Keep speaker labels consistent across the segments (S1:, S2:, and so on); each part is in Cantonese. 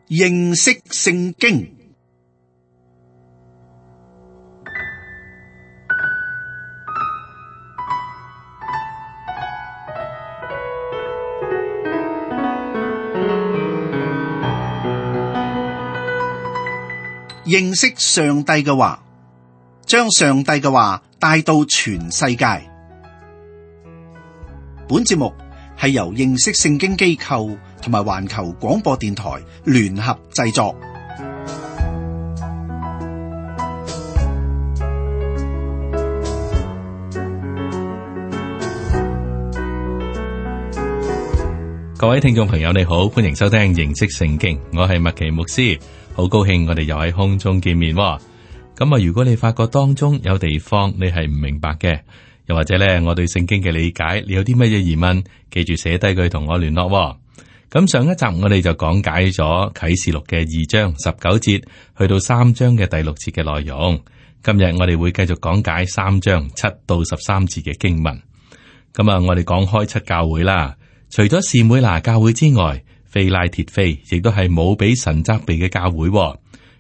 S1: 認識聖經。認識上帝嘅話，將上帝嘅話帶到全世界。本節目係由認識聖經機構同埋環球廣播電台聯合製作。
S2: 各位聽眾朋友，你好，歡迎收聽認識聖經，我係麥奇牧師，好高興我哋又喺空中見面。咁啊，如果你發覺當中有地方你係唔明白嘅，又或者咧我對聖經嘅理解，你有啲乜嘢疑問，記住寫低佢同我聯絡。咁上一集我哋就講解咗啟示錄嘅2章19節去到3章嘅第6節嘅內容。今日我哋會繼續講解3章7到13節嘅經文。咁啊，我哋講開7教會啦。除咗士每拿教會之外，非拉鐵非亦都係冇俾神責備嘅教會。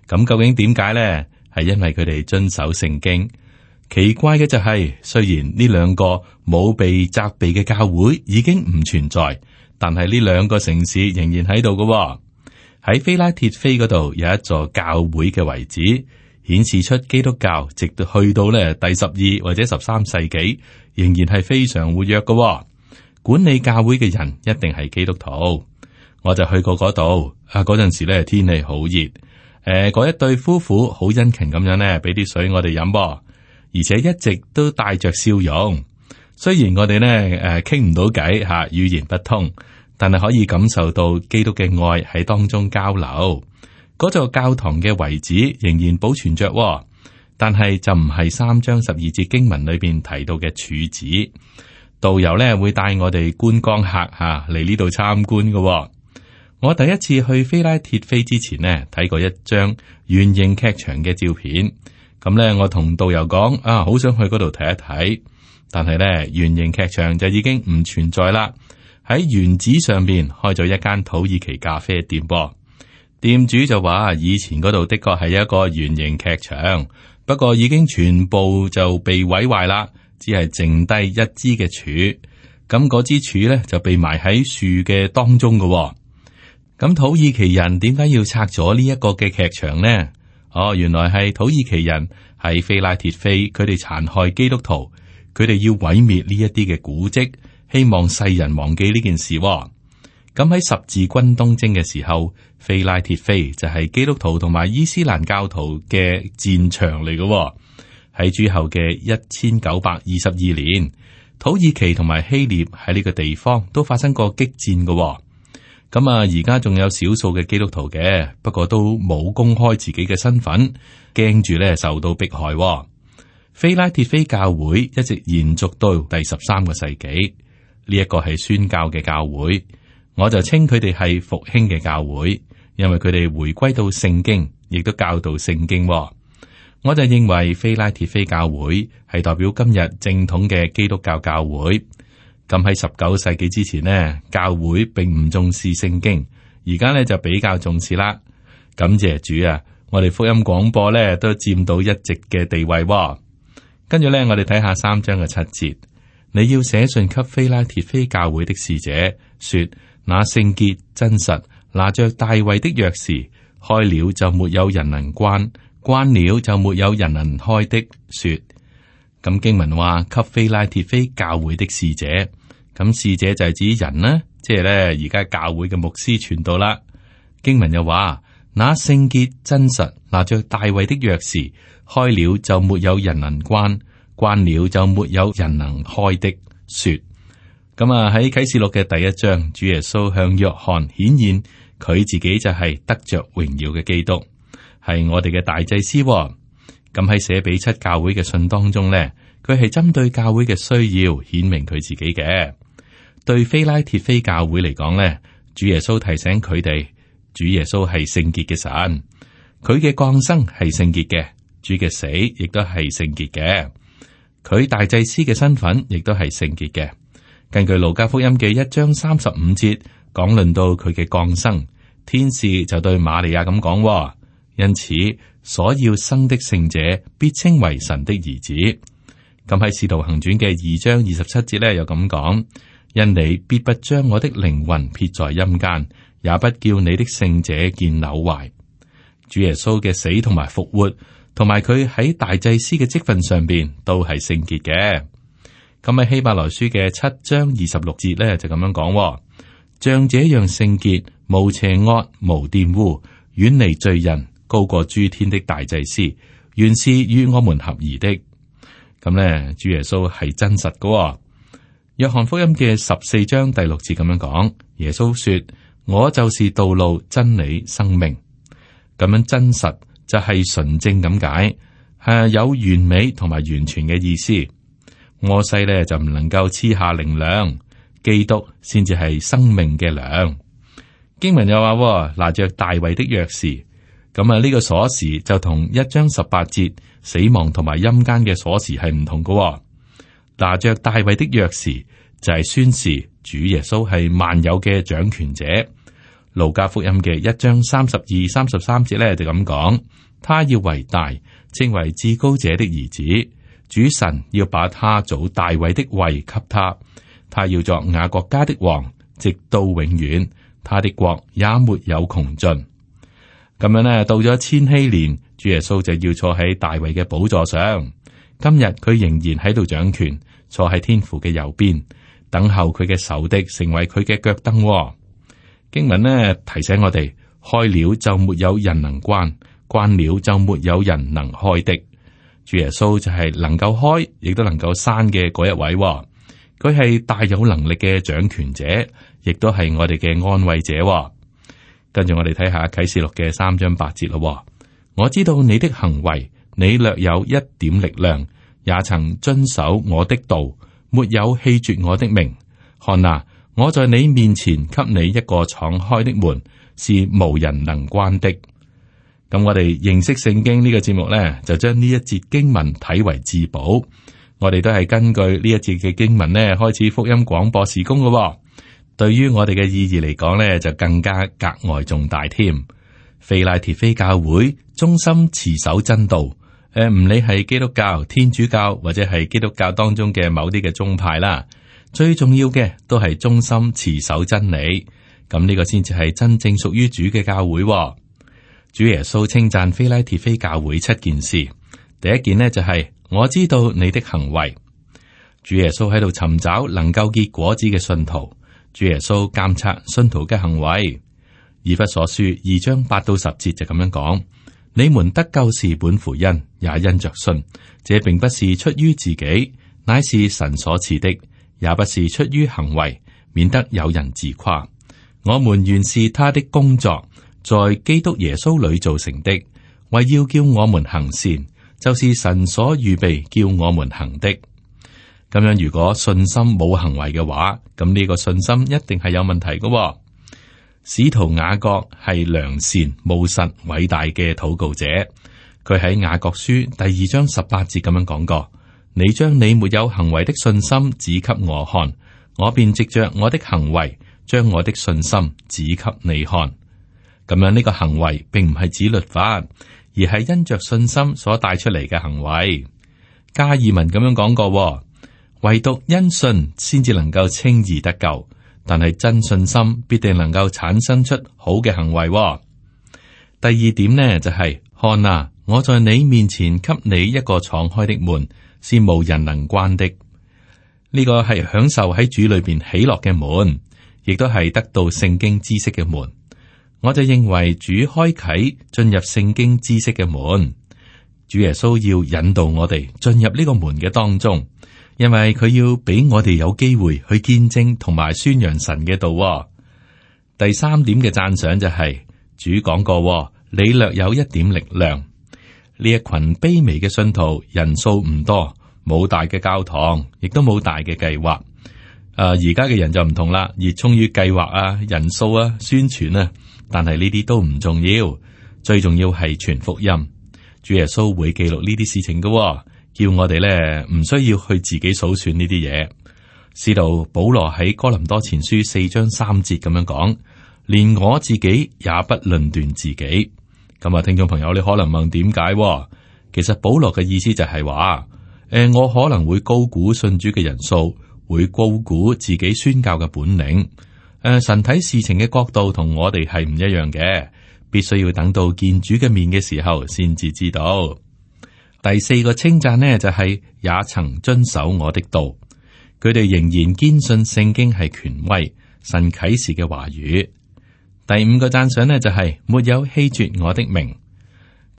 S2: 咁究竟點解呢？係因為佢哋遵守聖經。奇怪嘅就係，雖然呢兩個冇被責備嘅教會已經唔存在，但係呢兩個城市仍然喺度嘅。喺非拉鐵非嗰度有一座教會嘅遺址，顯示出基督教直到去到咧第12或者13世紀，仍然係非常活躍嘅。管理教會嘅人一定係基督徒。我就去過嗰度啊，嗰陣時咧天氣好熱，嗰一對夫婦好殷勤咁樣咧，俾啲水我哋飲，而且一直都帶着笑容。雖然我哋咧傾唔到偈吓，語言不通，但係可以感受到基督嘅愛喺當中交流。嗰座教堂嘅遺址仍然保存着，但係就唔係3章12節經文裏邊提到嘅柱子。導遊咧會帶我哋觀光客吓嚟呢度參觀嘅。我第一次去非拉鐵非之前呢，睇過一張圓形劇場嘅照片。咁咧，我同導遊講啊，好想去嗰度睇一睇。但係咧，圓形劇場就已經唔存在啦。喺原址上邊開咗一間土耳其咖啡店噃。店主就話，以前嗰度的確係一個圓形劇場，不過已經全部就被毀壞啦。只係剩低一支嘅柱，咁嗰支柱咧就被埋喺樹嘅當中嘅。咁土耳其人點解要拆咗呢一個嘅劇場呢？哦，原來係土耳其人喺非拉鐵非，佢哋殘害基督徒，佢哋要毀滅呢一啲嘅古蹟，希望世人忘記呢件事。咁喺十字軍東征嘅時候，非拉鐵非就係基督徒同埋伊斯蘭教徒嘅戰場嚟嘅。喺之後嘅1922年，土耳其同埋希臘喺呢個地方都發生過激戰嘅。咁啊，而家仲有少數嘅基督徒嘅，不過都冇公開自己嘅身份，驚住咧受到迫害。非拉鐵非教會一直延續到第13個世紀，呢一個係宣教嘅教會，我就稱佢哋係復興嘅教會，因為佢哋回歸到聖經，亦都教導聖經。我就認為非拉鐵非教會係代表今日正統嘅基督教教會。咁喺19世紀之前呢，教會並唔重視聖經，而家呢就比較重視啦。感謝主啊，我哋福音廣播呢都佔到一席嘅地位。跟住呢，我哋睇下3章嘅7節，你要寫信給非拉鐵非教會的使者，說那聖潔真實，拿着大衛的鑰匙，開了就沒有人能關，關了就沒有人能開的。說，咁經文話給非拉鐵非教會的使者，咁使者就係指人啦，即係咧而家教會嘅牧師傳道啦。經文又話那聖潔真實，拿着大衛的鑰匙，開了就沒有人能關，關了就沒有人能開的。說，咁啊喺啟示錄嘅第1章，主耶穌向約翰顯現佢自己就係得着榮耀嘅基督，係我哋嘅大祭司。咁喺寫俾7教會嘅信當中呢，佢係針對教會嘅需要顯明佢自己嘅。對非拉鐵非教會嚟講呢，主耶穌提醒佢哋，主耶穌係聖潔嘅神，佢嘅降生係聖潔嘅，主嘅死亦都係聖潔嘅，佢大祭司嘅身份亦都係聖潔嘅。根據路加福音嘅1章35節講論到佢嘅降生，天使就對瑪利亞咁講，因此所要生的聖者必稱為神的兒子。咁喺《使徒行傳》嘅2章27節咧，又咁講：因你必不將我的靈魂撇在陰間，也不叫你的聖者見朽壞。主耶穌嘅死同埋復活，同埋佢喺大祭司嘅職分上邊都係聖潔嘅。咁喺希伯來書嘅7章26節咧就咁樣講：像這樣聖潔、無邪惡、無玷污、遠離罪人、高過諸天的大祭司，原是與我們合宜的。咁咧，主耶穌係真實嘅。約翰福音嘅14章第6節咁樣講：耶穌說：我就是道路、真理、生命。咁樣真實就係純正咁解，係有完美同埋完全嘅意思。摩西咧就唔能夠賜下靈糧，基督先至係生命嘅糧。經文又話拿着大衛的鑰匙，咁啊呢個鎖匙就同1章18節死亡同埋陰間嘅鎖匙係唔同嘅。拿着大衛的鑰匙就係宣示主耶穌係萬有嘅掌權者。路加福音嘅1章32、33節咧就咁講：他要為大，稱為至高者的兒子。主神要把他祖大衛的位給他，他要作雅各家的王，直到永遠。他的國也沒有窮盡。咁樣呢，到咗千禧年，主耶穌就要坐喺大衛嘅寶座上。今日佢仍然喺度掌權，坐喺天父嘅右邊，等候佢嘅仇敵成為佢嘅腳凳。經文呢提醒我哋：開了就沒有人能關，關了就沒有人能開的。主耶穌就係能夠開，亦都能夠閂嘅嗰一位。佢係大有能力嘅掌權者，亦都係我哋嘅安慰者。跟住我哋睇下啟示錄嘅3章8節咯。我知道你的行為，你略有一點力量，也曾遵守我的道，沒有棄絕我的名。看啊，我在你面前給你一個敞開的門，是無人能關的。咁我哋認識聖經呢個節目呢，就將呢一節經文睇為至寶。我哋都係根據呢一節嘅經文呢，開始福音廣播事工嘅。對於我哋嘅意義嚟講呢，就更加格外重大添。腓拉鐵非教會忠心持守真道，唔理係基督教、天主教或者係基督教當中嘅某啲嘅宗派啦，最重要嘅都係忠心持守真理。咁呢個先至係真正屬於主嘅教會。主耶穌稱讚腓拉鐵非教會7件事，第一件呢，就係我知道你的行為。主耶穌喺度尋找能夠結果子嘅信徒。主耶穌監察信徒嘅行為。以弗所書2章8到10節就咁樣講：你們得救是本乎恩，也因着信。這並不是出於自己，乃是神所賜的；也不是出於行為，免得有人自誇。我們原是他的工作，在基督耶穌裏造成的，為要叫我們行善，就是神所預備叫我們行的。咁樣，如果信心冇行為嘅話，咁呢個信心一定係有問題嘅。使徒雅各係良善、務實、偉大嘅禱告者。佢喺雅各書第2章18節咁樣講過：你將你沒有行為的信心指給我看，我便藉着我的行為將我的信心指給你看。咁樣呢個行為並唔係指律法，而係因着信心所帶出嚟嘅行為。加爾文咁樣講過：唯獨因信先至能夠稱義得救，但係真信心必定能夠產生出好嘅行為。第二點呢，就係看啊，我在你面前給你一個敞開的門，是無人能關的。呢個係享受喺主裏邊喜樂嘅門，亦都係得到聖經知識嘅門。我就認為主開啟進入聖經知識嘅門，主耶穌要引導我哋進入呢個門嘅當中。因為佢要俾我哋有機會去見證同埋宣揚神嘅道。第三點嘅讚賞就係主講過，你略有一點力量。呢一群卑微嘅信徒人數唔多，冇大嘅教堂，亦都冇大嘅計劃。而家嘅人就唔同啦，熱衷於計劃啊、人數啊、宣傳啊，但係呢啲都唔重要，最重要係傳福音。主耶穌會記錄呢啲事情嘅。叫我哋咧唔需要去自己數算呢啲嘢。使徒保羅喺哥林多前書4章3節咁樣講：連我自己也不論斷自己。咁啊，聽眾朋友，你可能問點解？其實保羅嘅意思就係話，我可能會高估信主嘅人數，會高估自己宣教嘅本領。神睇事情嘅角度同我哋係唔一樣嘅，必須要等到見主嘅面嘅時候先至知道。第四個稱讚呢，就係也曾遵守我的道，佢哋仍然堅信聖經係權威，神啟示嘅話語。第五個讚賞呢，就係沒有棄絕我的名。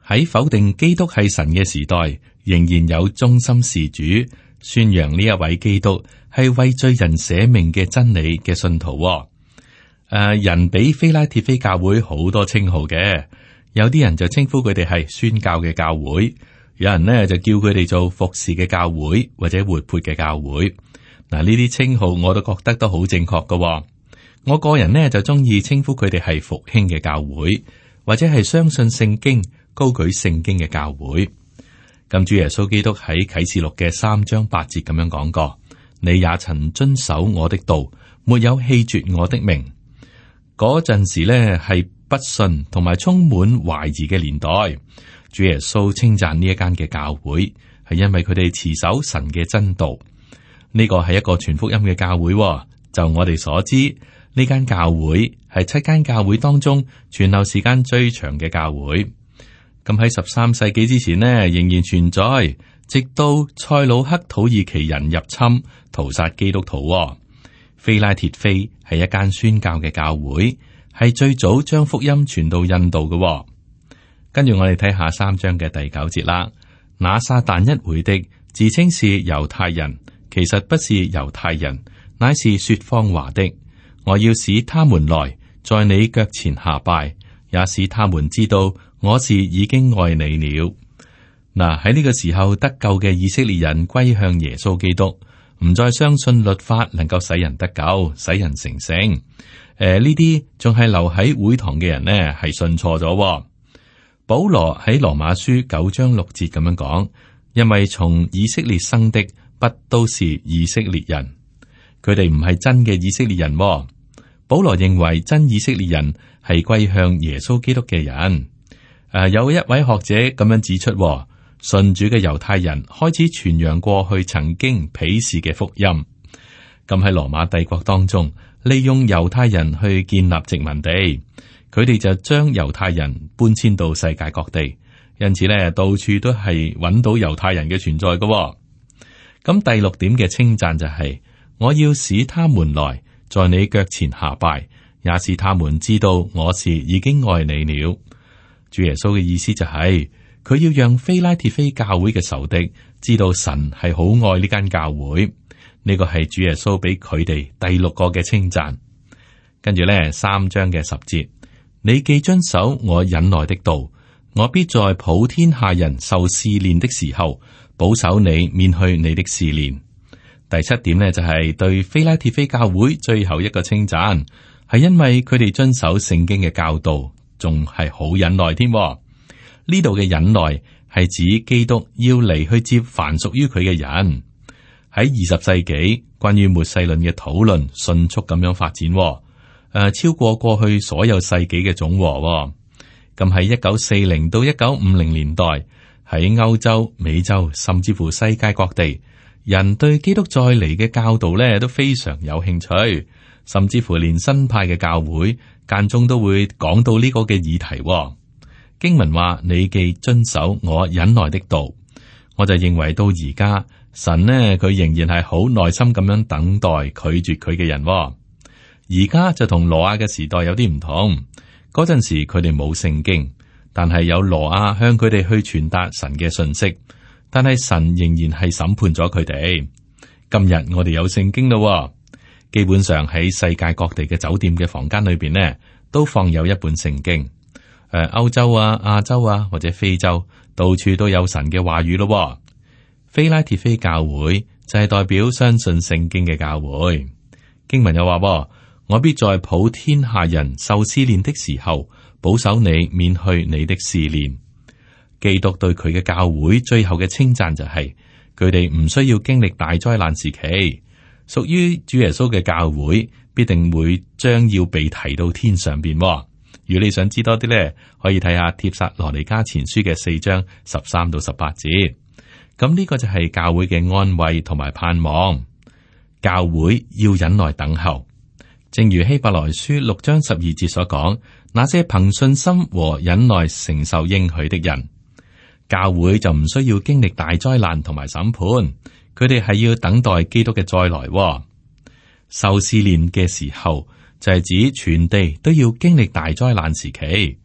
S2: 喺否定基督係神嘅時代，仍然有忠心事主宣揚呢一位基督係為罪人捨命嘅真理嘅信徒。人比非拉鐵非教會好多稱號嘅，有啲人就稱呼佢哋係宣教嘅教會，有人呢就叫佢哋做服侍嘅教會或者活潑嘅教會。嗱，呢啲稱號我都覺得都好正確㗎。我個人呢就中意稱呼佢哋係復興嘅教會，或者係相信聖經、高舉聖經嘅教會。咁主耶穌基督喺啟示錄嘅3章8節咁樣講過：你也曾遵守我的道，沒有棄絕我的名。嗰陣時呢係不信同埋充滿懷疑嘅年代。主耶穌稱讚呢一間嘅教會，係因為佢哋持守神嘅真道。呢個係一個傳福音嘅教會。就我哋所知，呢間教會係7間教會當中存留時間最長嘅教會。咁喺13世紀之前呢，仍然存在，直到塞魯克土耳其人入侵屠殺基督徒。非拉鐵非係一間宣教嘅教會，係最早將福音傳到印度嘅。跟住我哋睇下3章嘅第9節啦。那撒但一會的自稱是猶太人，其實不是猶太人，乃是說謊話的。我要使他們來，在你腳前下拜，也使他們知道我是已經愛你了。嗱，喺呢個時候得救嘅以色列人歸向耶穌基督，唔再相信律法能夠使人得救、使人成聖。呢啲仲係留喺會堂嘅人呢，係信錯咗。保羅喺羅馬書9章6節咁樣講：因為從以色列生的不都是以色列人，佢哋唔係真嘅以色列人。保羅認為真以色列人係歸向耶穌基督嘅人。有一位學者咁樣指出，信主嘅猶太人開始傳揚過去曾經鄙視嘅福音。咁喺羅馬帝國當中，利用猶太人去建立殖民地，佢哋就將猶太人搬遷到世界各地，因此咧到處都係揾到猶太人嘅存在嘅。咁第6點嘅稱讚就係：我要使他們來，在你腳前下拜，也使他們知道我是已經愛你了。主耶穌嘅意思就係，佢要讓非拉鐵非教會嘅仇敵知道神係好愛呢間教會。呢個係主耶穌俾佢哋第6個嘅稱讚。跟住咧3章嘅10節，你既遵守我忍耐的道，我必在普天下人受試煉的時候，保守你免去你的試煉。第7點呢，就係對非拉鐵非教會最後一個稱讚，係因為佢哋遵守聖經嘅教導，仲係好忍耐添。呢度嘅忍耐係指基督要嚟去接凡屬於佢嘅人。喺20世紀，關於末世論嘅討論迅速咁樣發展，超過過去所有世紀嘅總和。咁喺1940到1950年代，喺歐洲、美洲，甚至乎世界各地，人對基督再嚟嘅教導咧都非常有興趣，甚至乎連新派嘅教會間中都會講到呢個嘅議題。經文話：你既遵守我忍耐的道，我就認為到而家神呢，佢仍然係好耐心咁樣等待拒絕佢嘅人。而家就同挪亞嘅時代有啲唔同，嗰陣時佢哋冇聖經，但係有挪亞向佢哋去傳達神嘅信息，但係神仍然係審判咗佢哋。今日我哋有聖經咯，基本上喺世界各地嘅酒店嘅房間裏邊呢，都放有一本聖經。歐洲啊、亞洲啊或者非洲，到處都有神嘅話語咯。非拉鐵非教會就係代表相信聖經嘅教會。經文又話：我必在普天下人受試煉的時候，保守你免去你的試煉。基督對佢嘅教會最後嘅稱讚就係，佢哋唔需要經歷大災難時期。屬於主耶穌嘅教會必定會將要被提到天上邊。如果你想知多啲咧，可以睇下帖撒羅尼迦前書嘅4章13到18節。咁呢個就係教會嘅安慰同埋盼望。教會要忍耐等候，正如希伯來書6章12節所講，那些憑信心和忍耐承受應許的人，教會就唔需要經歷大災難同埋審判，佢哋係要等待基督嘅再來。受試煉嘅時候就係指全地都要經歷大災難時期。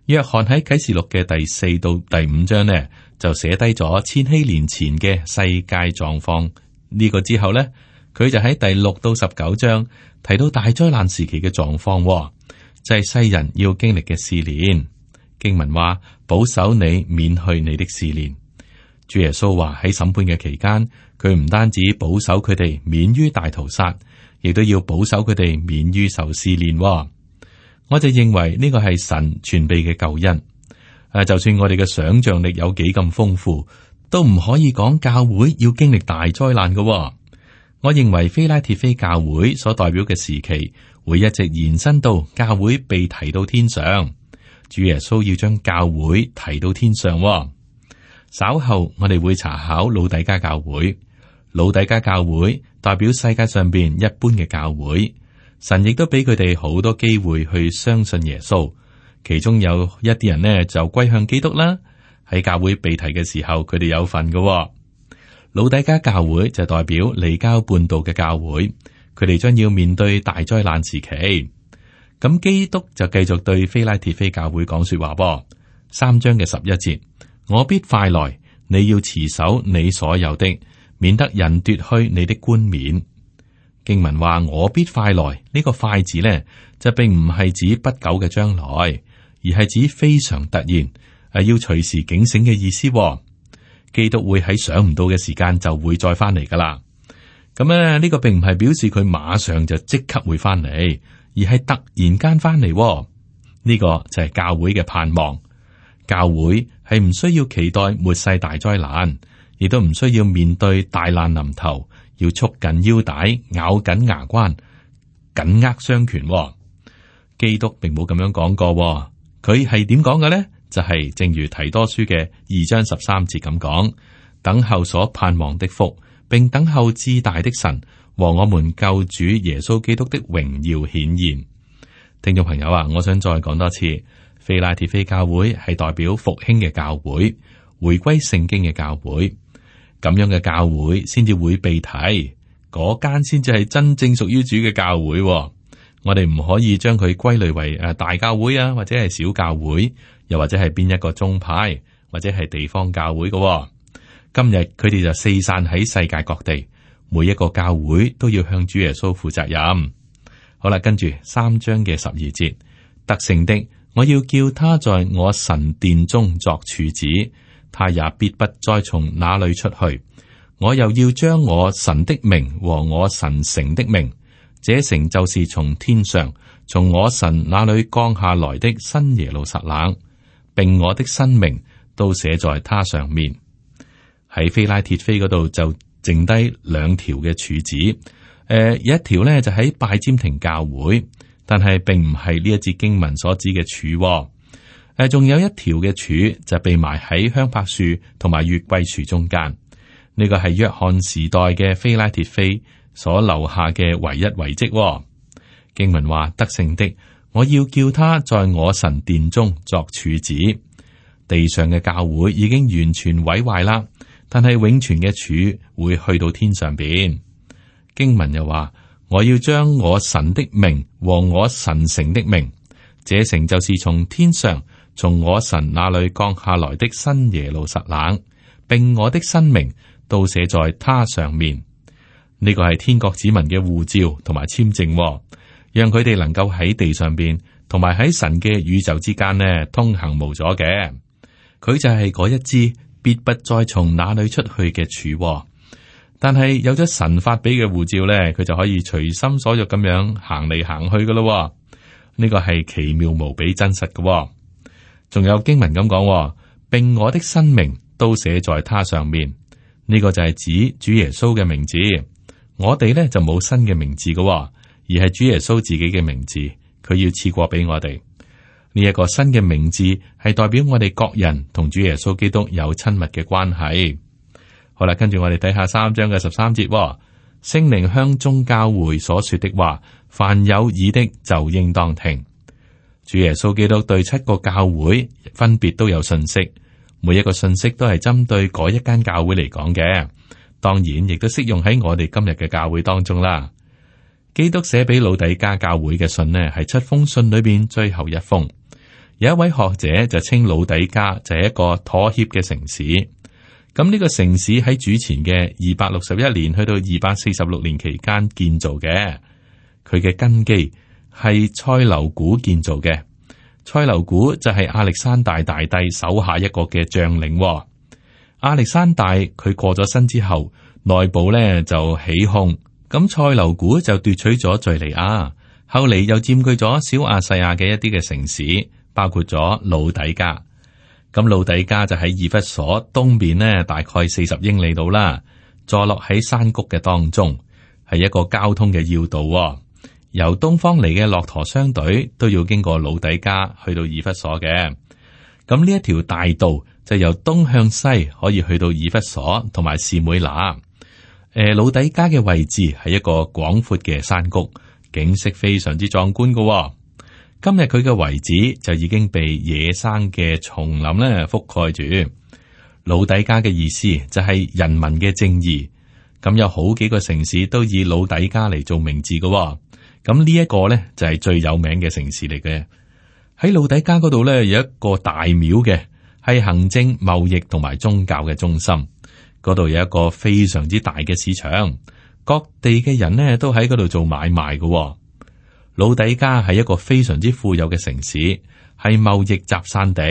S2: 約翰喺啟示錄嘅第4到第5章呢，就寫低咗千禧年前嘅世界狀況。呢個之後呢，佢就喺第6到19章提到大災難時期嘅狀況，就係世人要經歷嘅試煉。經文話，保守你免去你的試煉。主耶穌話喺審判嘅期間，佢唔單止保守佢哋免於大屠殺，亦都要保守佢哋免於受試煉。我就認為呢個係神全備嘅救恩。就算我哋嘅想象力有幾咁豐富，都唔可以講教會要經歷大災難嘅。我認為非拉鐵非教會所代表嘅時期會一直延伸到教會被提到天上。主耶穌要將教會提到天上。稍後我哋會查考老底嘉教會。老底嘉教會代表世界上邊一般嘅教會，神亦都俾佢哋好多機會去相信耶穌。其中有一啲人呢就歸向基督啦。喺教會被提嘅時候，佢哋有份嘅。老底嘉教會就代表離經叛道嘅教會，佢哋將要面對大災難時期。咁基督就繼續對非拉鐵非教會講說話噃。3章嘅11節，我必快來，你要持守你所有的，免得人奪去你的冠冕。經文話我必快來，呢個快字呢，就並唔係指不久嘅將來，而係指非常突然，要隨時警醒嘅意思。基督會喺想唔到嘅時間就會再翻嚟噶啦。咁咧呢個並唔係表示佢馬上就即刻會翻嚟，而係突然間翻嚟。呢個就係教會嘅盼望。教會係唔需要期待末世大災難，亦都唔需要面對大難臨頭，要束緊腰帶、咬緊牙關、緊握雙拳。基督並冇咁樣講過，佢係點講嘅呢？就係正如提多書嘅2章13節咁講，等候所盼望的福，並等候至大的神和我們救主耶穌基督的榮耀顯現。聽眾朋友啊，我想再講多次，非拉鐵非教會係代表復興嘅教會，回歸聖經嘅教會，咁樣嘅教會先至會被提，嗰間先至係真正屬於主嘅教會。我哋唔可以將佢歸類為大教會啊，或者係小教會，又或者係邊一個宗派，或者係地方教會嘅。今日佢哋就四散喺世界各地，每一個教會都要向主耶穌負責任。好啦，跟住3章嘅12節，得勝的，我要叫他在我神殿中作柱子，他也必不再從那裏出去。我又要將我神的名和我神城的名，這城就是從天上從我神那裏降下來的新耶路撒冷，並我的新名都寫在它上面。喺非拉鐵非嗰度就剩低2條嘅柱子，有一條呢就喺拜占庭教會，但係並唔係呢一節經文所指嘅柱。仲有一條嘅柱就被埋喺香柏樹同埋月桂樹中間。呢個係約翰時代嘅非拉鐵非所留下嘅唯一遺跡。經文話，得勝的，我要叫他在我神殿中作柱子。地上嘅教會已經完全毀壞啦，但係永存嘅柱會去到天上邊。經文又話，我要將我神的名和我神城的名，這城就是從天上從我神那裏降下來的新耶路撒冷，並我的新名都寫在它上面。呢個係天國子民嘅護照同埋簽證，讓佢哋能夠喺地上邊同埋喺神嘅宇宙之間呢通行無阻嘅。佢就係嗰一支必不再從哪裏出去嘅柱。但係有咗神發俾嘅護照呢，佢就可以隨心所欲咁樣行嚟行去噶咯。呢個係奇妙無比真實嘅。仲有經文咁講，並我的新名都寫在它上面。呢個就係指主耶穌嘅名字。我哋呢就冇新嘅名字嘅，而係主耶穌自己嘅名字，佢要賜過俾我哋。呢一個新嘅名字係代表我哋各人同主耶穌基督有親密嘅關係。好啦，跟住我哋睇下3章嘅13節，聖靈向眾教會所說的話，凡有耳的就應當聽。主耶穌基督對7個教會分別都有信息，每一個信息都係針對嗰一間教會嚟講嘅，當然亦都適用喺我哋今日嘅教會當中啦。基督寫俾老底嘉教會嘅信呢，係7封信裏邊最後一封。有一位學者就稱老底嘉就係一個妥協嘅城市。咁呢個城市喺主前嘅261年去到246年期間建造嘅，佢嘅根基係塞琉古建造嘅。塞琉古就係亞歷山大大帝手下一個嘅將領。亞歷山大佢過咗身之後，內部咧就起鬨，咁塞琉古就奪取咗敘利亞，後嚟又佔據咗小亞細亞嘅一啲嘅城市。包括咗老底嘉，咁老底嘉就喺以弗所東邊呢，大概40英里度啦，坐落喺山谷嘅當中，係一個交通嘅要道。由東方嚟嘅駱駝商隊都要經過老底嘉去到以弗所嘅。咁呢一條大道就由東向西可以去到以弗所同埋士每拿。老底嘉嘅位置係一個廣闊嘅山谷，景色非常之壯觀噶。今日佢嘅遺址就已經被野生嘅叢林咧覆蓋住。老底嘉嘅意思就係人民嘅正義。咁有好幾個城市都以老底嘉嚟做名字嘅。咁呢一個咧就係最有名嘅城市嚟嘅。喺老底嘉嗰度咧有一個大廟嘅，係行政、貿易同埋宗教嘅中心。嗰度有一個非常之大嘅市場，各地嘅人呢都喺嗰度做買賣嘅。老底嘉係一個非常之富有嘅城市，係貿易集散地，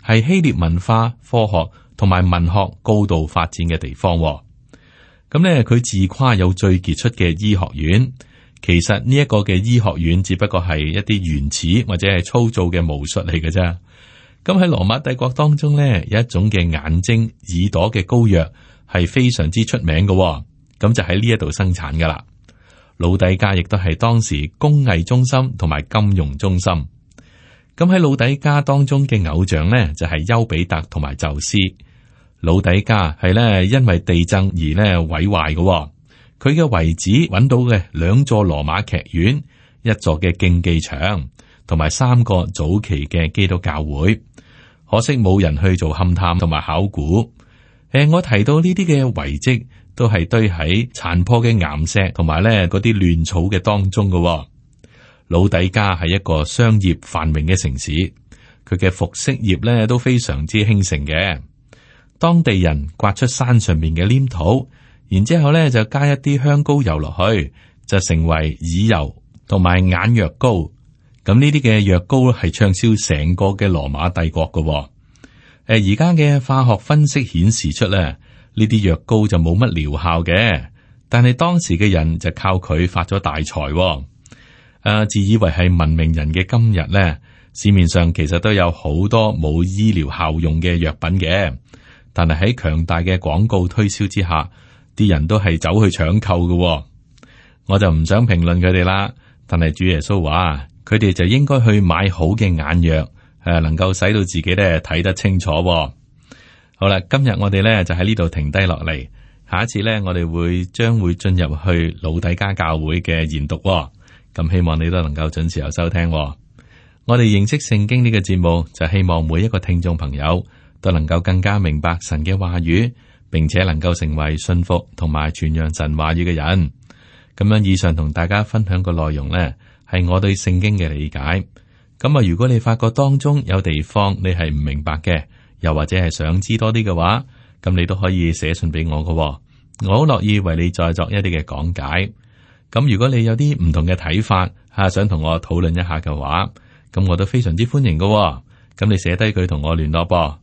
S2: 係希臘文化、科學同埋文學高度發展嘅地方。咁呢，佢自誇有最傑出嘅醫學院，其實呢一個嘅醫學院只不過係一啲原始或者係粗糙嘅巫術嚟嘅啫。咁喺羅馬帝國當中呢，有一種嘅眼睛、耳朵嘅膏藥係非常之出名嘅，咁就喺呢一度生產噶啦。老底嘉亦都係當時工藝中心同埋金融中心。咁喺老底嘉當中嘅偶像呢，就係丘比特同埋宙斯。老底嘉係咧因為地震而咧毀壞嘅。佢嘅遺址揾到嘅2座羅馬劇院、1座嘅競技場，同埋3個早期嘅基督教會。可惜冇人去做勘探同埋考古。我提到呢啲嘅遺跡，都係堆喺殘破嘅岩石同埋咧嗰啲亂草嘅當中嘅。老底嘉係一個商業繁榮嘅城市，佢嘅服飾業咧都非常之興盛嘅。當地人刮出山上面嘅黏土，然之後咧就加一啲香膏油落去，就成為耳油同埋眼藥膏。咁呢啲嘅藥膏係暢銷成個嘅羅馬帝國嘅。而家嘅化學分析顯示出咧，呢啲藥膏就冇乜療效嘅，但係當時嘅人就靠佢發咗大財。自以為係文明人嘅今日咧，市面上其實都有好多冇醫療效用嘅藥品嘅，但係喺強大嘅廣告推銷之下，啲人都係走去搶購嘅。我就唔想評論佢哋啦，但係主耶穌話，佢哋就應該去買好嘅眼藥，能夠使到自己咧睇得清楚。好啦，今日我哋咧就喺呢度停低落嚟，下一次咧我哋將會進入去老底嘉教會嘅研讀。咁希望你都能夠準時有收聽。我哋認識聖經呢個節目，就希望每一個聽眾朋友都能夠更加明白神嘅話語，並且能夠成為信服同埋傳揚神話語嘅人。咁樣以上同大家分享個內容呢，係我對聖經嘅理解。咁啊，如果你發覺當中有地方你係唔明白嘅，又或者係想知多啲嘅話，咁你都可以寫信俾我㗎。我好樂意為你再作一啲嘅講解。咁如果你有啲唔同嘅睇法，想同我討論一下嘅話，咁我都非常之歡迎㗎。咁你寫低佢同我聯絡噃。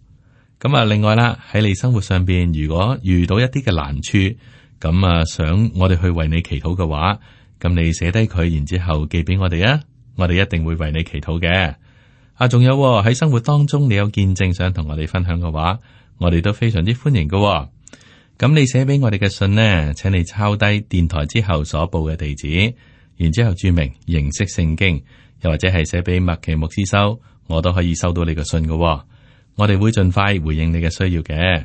S2: 咁啊，另外啦，喺你生活上邊，如果遇到一啲嘅難處，咁啊想我哋去為你祈禱嘅話，咁你寫低佢，然之後寄俾我哋啊，我哋一定會為你祈禱嘅。仲有喺生活當中，你有見證想同我哋分享嘅話，我哋都非常之歡迎㗎。咁你寫俾我哋嘅信呢，請你抄低電台之後所報嘅地址，然之後注明認識聖經，又或者係寫俾麥奇牧師收，我都可以收到你個信嘅喎。我哋會盡快回應你嘅需要嘅。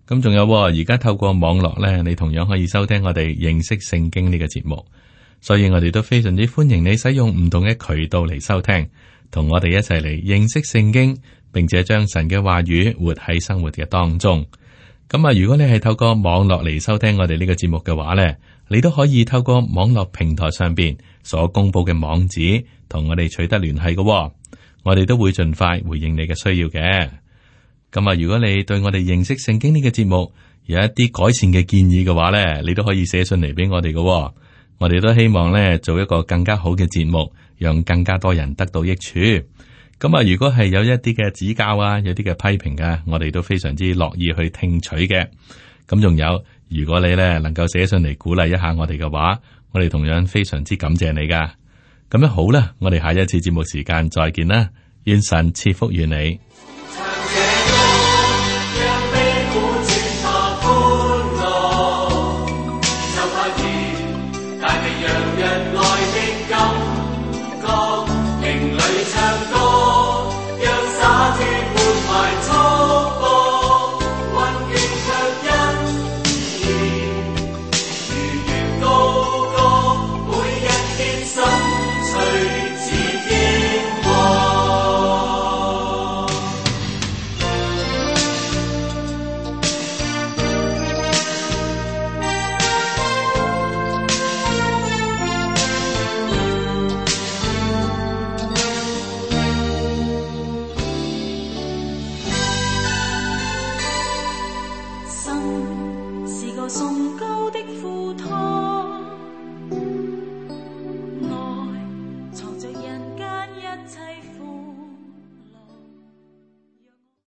S2: 咁仲有喎，而家透過網絡咧，你同樣可以收聽我哋認識聖經呢個節目。所以我哋都非常之歡迎你使用唔同嘅渠道嚟收聽，同我哋一齊嚟認識聖經，並且將神嘅話語活喺生活嘅當中。咁啊，如果你係透過網絡嚟收聽我哋呢個節目嘅話呢，你都可以透過網絡平台上邊所公布嘅網址，同我哋取得聯繫嘅。我哋都會盡快回應你嘅需要嘅。咁啊，如果你對我哋認識聖經呢個節目有一啲改善嘅建議嘅話呢，你都可以寫信嚟俾我哋嘅。我哋都希望咧做一個更加好嘅節目，讓更加多人得到益處。咁啊，如果係有一啲嘅指教啊，有啲嘅批評啊，我哋都非常之樂意去聽取嘅。咁仲有，如果你咧能夠寫信嚟鼓勵一下我哋嘅話，我哋同樣非常之感謝你噶。咁樣好啦，我哋下一次節目時間再見啦，願神賜福與你。
S3: 藏着人間一切。